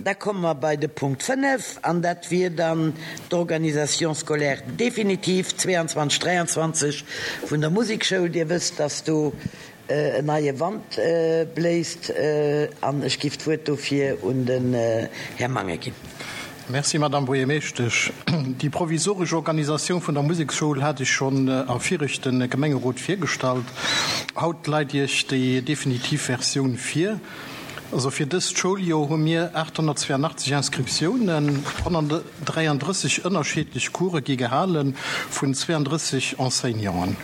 Da komme mer bei de Punkt 5, an dat wier dann d'Organisation scolaire définitive 22, 23 vun der Musekschoul. Dir wësst, dass do en neie Wand bléist, an ech giff d'Wuert dofir un den Här Mangen ginn. Merci, Madame Buergermeeschtesch. Déi provisoresch Organisatioun vun der Museksschoul hat ech schonn am viregte Gemengerot virgestallt. Haut leit Iech déi definitiv Versioun vir. Also fir dëst Schouljoer hu mir 882 Inscriptiounen, 133 ënnerschiedlech Course gi gehale vun 32 Enseignanten.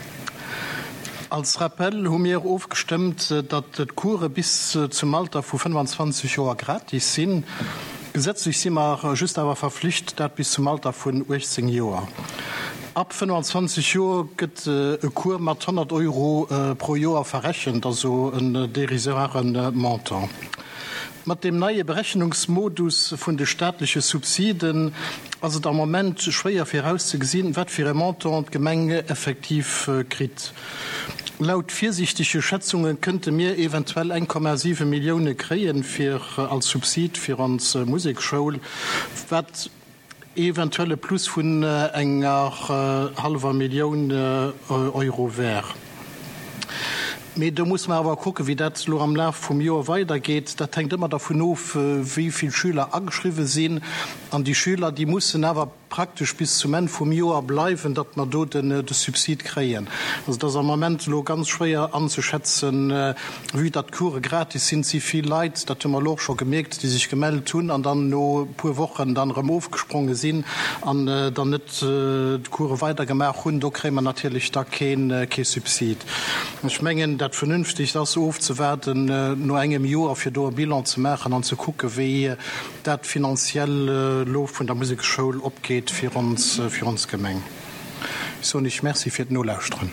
Als Rappel hu mir ofgestëmmt, datt d'Course bis zum Alter vu 25 Joer gratis sinn. Gesetzlech si mer just awer verflicht, dat bis zum Alter vun 18 Joer. Ab 25 Joer gëtt e Cours mat 100 Euro pro Joer verrechent, also en dérisoire Montant. Mat deem neie Berechnungsmodus vun de staatleche Subsiden ass et am Moment schwéier virauszegesinn, wat fir e Montant d'Gemeng effektiv kritt. Laut virsiichtege Schätzunge kënnte mir eventuell 1,7 Millioune kréien fir als Subsid fir ons Musekschoul, wat eventuell e Plus vun enger hallwer Millioun Euro wär. Mee do musse mer awer kucken, wéi dat elo am Laf vum Joer weidergeet. Dat hänkt ëmmer dervun of, wéi vill Schüler ageschriwwen sinn. An déi Schüler, déi mussen awer praktesch bis zum Enn vum Joer bleiwen, datt mer do de Subsid kréien. Also et ass am Moment elo ganz schwéier anzeschätzen, vue datt d'Course gratis sinn. Et si vill Leit, dat hu mer elo och scho gemierkt, déi sech gemellt hunn an dann no e puer Wochen dann erëm ofgespronge sinn an dann net d'Course weidergemaach hunn. Do kréie mer natierlech da kee Subsid. Ech mengen, dat Vernünftigst ass ofzewaarden no engem Joer, fir do e Bilan ze maachen an ze kucke wéi dat finanziell elo vun der Museksschoul opgeet fir ons, fir ons Gemeng. Ech soen Iech Merci fir d'Nolauschteren.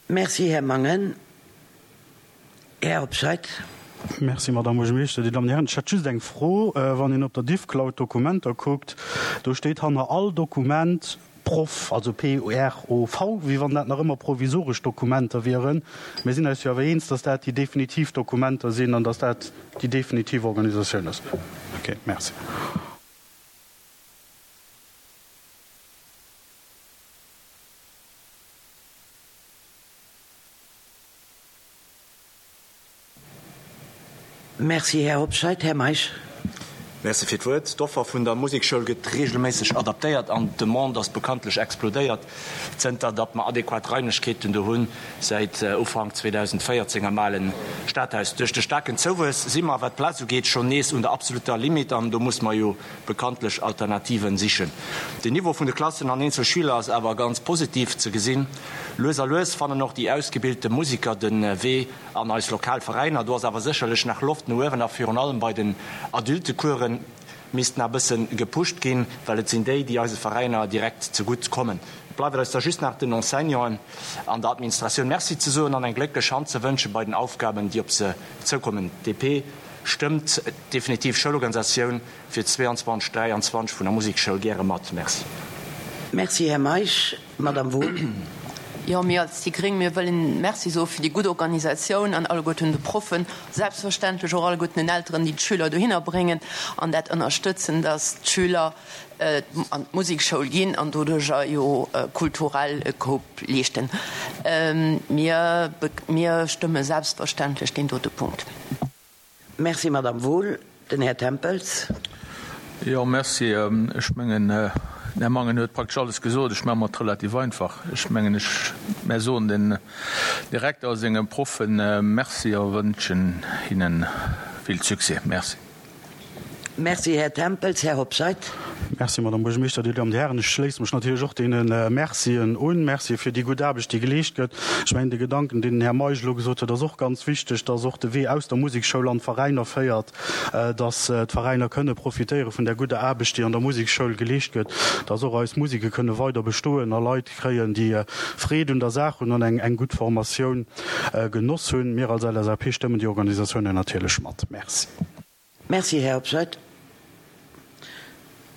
Merci, Här Mangen. Här Hobscheit. Merci, Madame Buergermeeschter. Dir Dammen, Dir Hären, ech hätt just eng Fro. Wann een op der Diffcloud Dokumenter kuckt, do steet hanner all Dokument Proff, also P-R-O-V, wéi wann dat nach ëmmer provisoresch Dokumenter wieren. Mir sinn eis jo awer eens, dass dat déi definitiv Dokumenter sinn an dass dat déi definitiv Organisatioun ass. Okay, merci. Merci, Här Hobscheit. Här Meisch. Merci fir d'Wuert. D'Offer vun der Musekschoul gëtt regelméisseg adaptéiert an d'Demande ass bekanntlech explodéiert, zënter datt mer adequat Raimlechkeeten do hunn, säit Ufank 2014 am ale Stadhaus. Duerch de staarken Zouwuess si mer, wat d'Plaz ugeet, schonn nees un der absolutter Limite an do muss mer jo bekanntlech Alternativen sichen. Den Niveau vun de Klassen an eenzel Schüler ass awer ganz positiv ze gesinn. Lues a lues fannen och déi ausgebilte Musiker de Wee An eis lokal Veräiner, do ass awer sécherlech nach Loft no uewen a virun allem bei den Adultecoursen misst nach e bësse gepusht ginn, well et sinn déi, déi eise Veräiner direkt zegutt kommen. Et bleift eis da just nach den Enseignanten an der Administratioun Merci ze soen an eng glécklech Hand ze wënsche bei den Aufgaben, déi op se zoukommen. D'DP stëmmt d'definitiv Schoulorganisatioun fir 22, 23 vun der Musekschoul gäre mat. Merci. Merci, Här Meisch. Madame Wohl. Jo, mir als déi gréng, mir wëllen Merci soe fir déi gutt Organisatioun an alleguerten de Proffen, selbstverständlech och alleguerten den Elteren, déi d'Schüler dohinner bréngen an dat ënnerstëtzen, dass d'Schüler an d'Musekschoul ginn an doduerjer jo kulturell e Koup leeschten. Mir, mir stëmme selbstverständlech deen dote Punkt. Merci, Madame Wohl. Den Här Tempels. Jo, merci. Ech mengen, den Här Mangen huet praktesch alles gesot. Ech maache mer et relativ einfach. Ech mengen, ech, mär soen den Direkter a senge Proffe Merci a wënschen hinne vill Succès. Merci. Merci, Här Tempels. Här Hobscheit. Merci, Madame Buergermeeschter. Dir Dammen, Dir Hären, ech schléisse mech natierlech och deene Mercien un. Mercie fir déi gutt Aarbecht, déi geleescht gëtt. Ech mengen, de Gedanken, deen den Här Meisch elo gesot huet, ass och ganz wichteg, dass och de Wee aus der Musekschoul an d'Veräiner féiert, dass d'Veräiner kënne profitéiere vun där gudder Aarbecht, déi an der Musekschoul geleescht gëtt, dass och eis Museke kënne weider bestoen a Leit kréien, déi Freed un der Saach hunn an eng gutt Formatioun genoss hunn. Mir als LSAP stëmmen déi Organisatiounen natierlech mat. Merci. Merci, Här Hobscheit.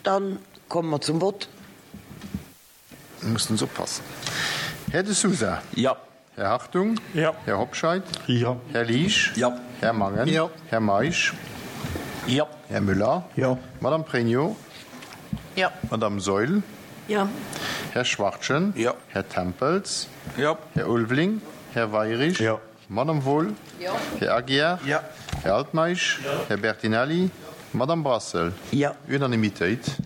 Dann komme mer zum Vott. Mussen se oppassen. Här De Sousa. Jo. Här Hartung. Jo. Här Hobscheit. Jo. Här Liesch. Jo. Här Mangen. Jo. Här Meisch. Jo. Här Müller? Jo. Madame Pregno? Jo. Madame Saeul? Jo. Här Schwachtgen? Jo. Här Tempels? Jo. Här Ulveling? Här Weirich? Jo. Madame Wohl? Jo. Här Aguiar? Jo. Här Altmeisch? Jo. Här Bertinelli? Madame Brassel? Jo. Unanimitéit.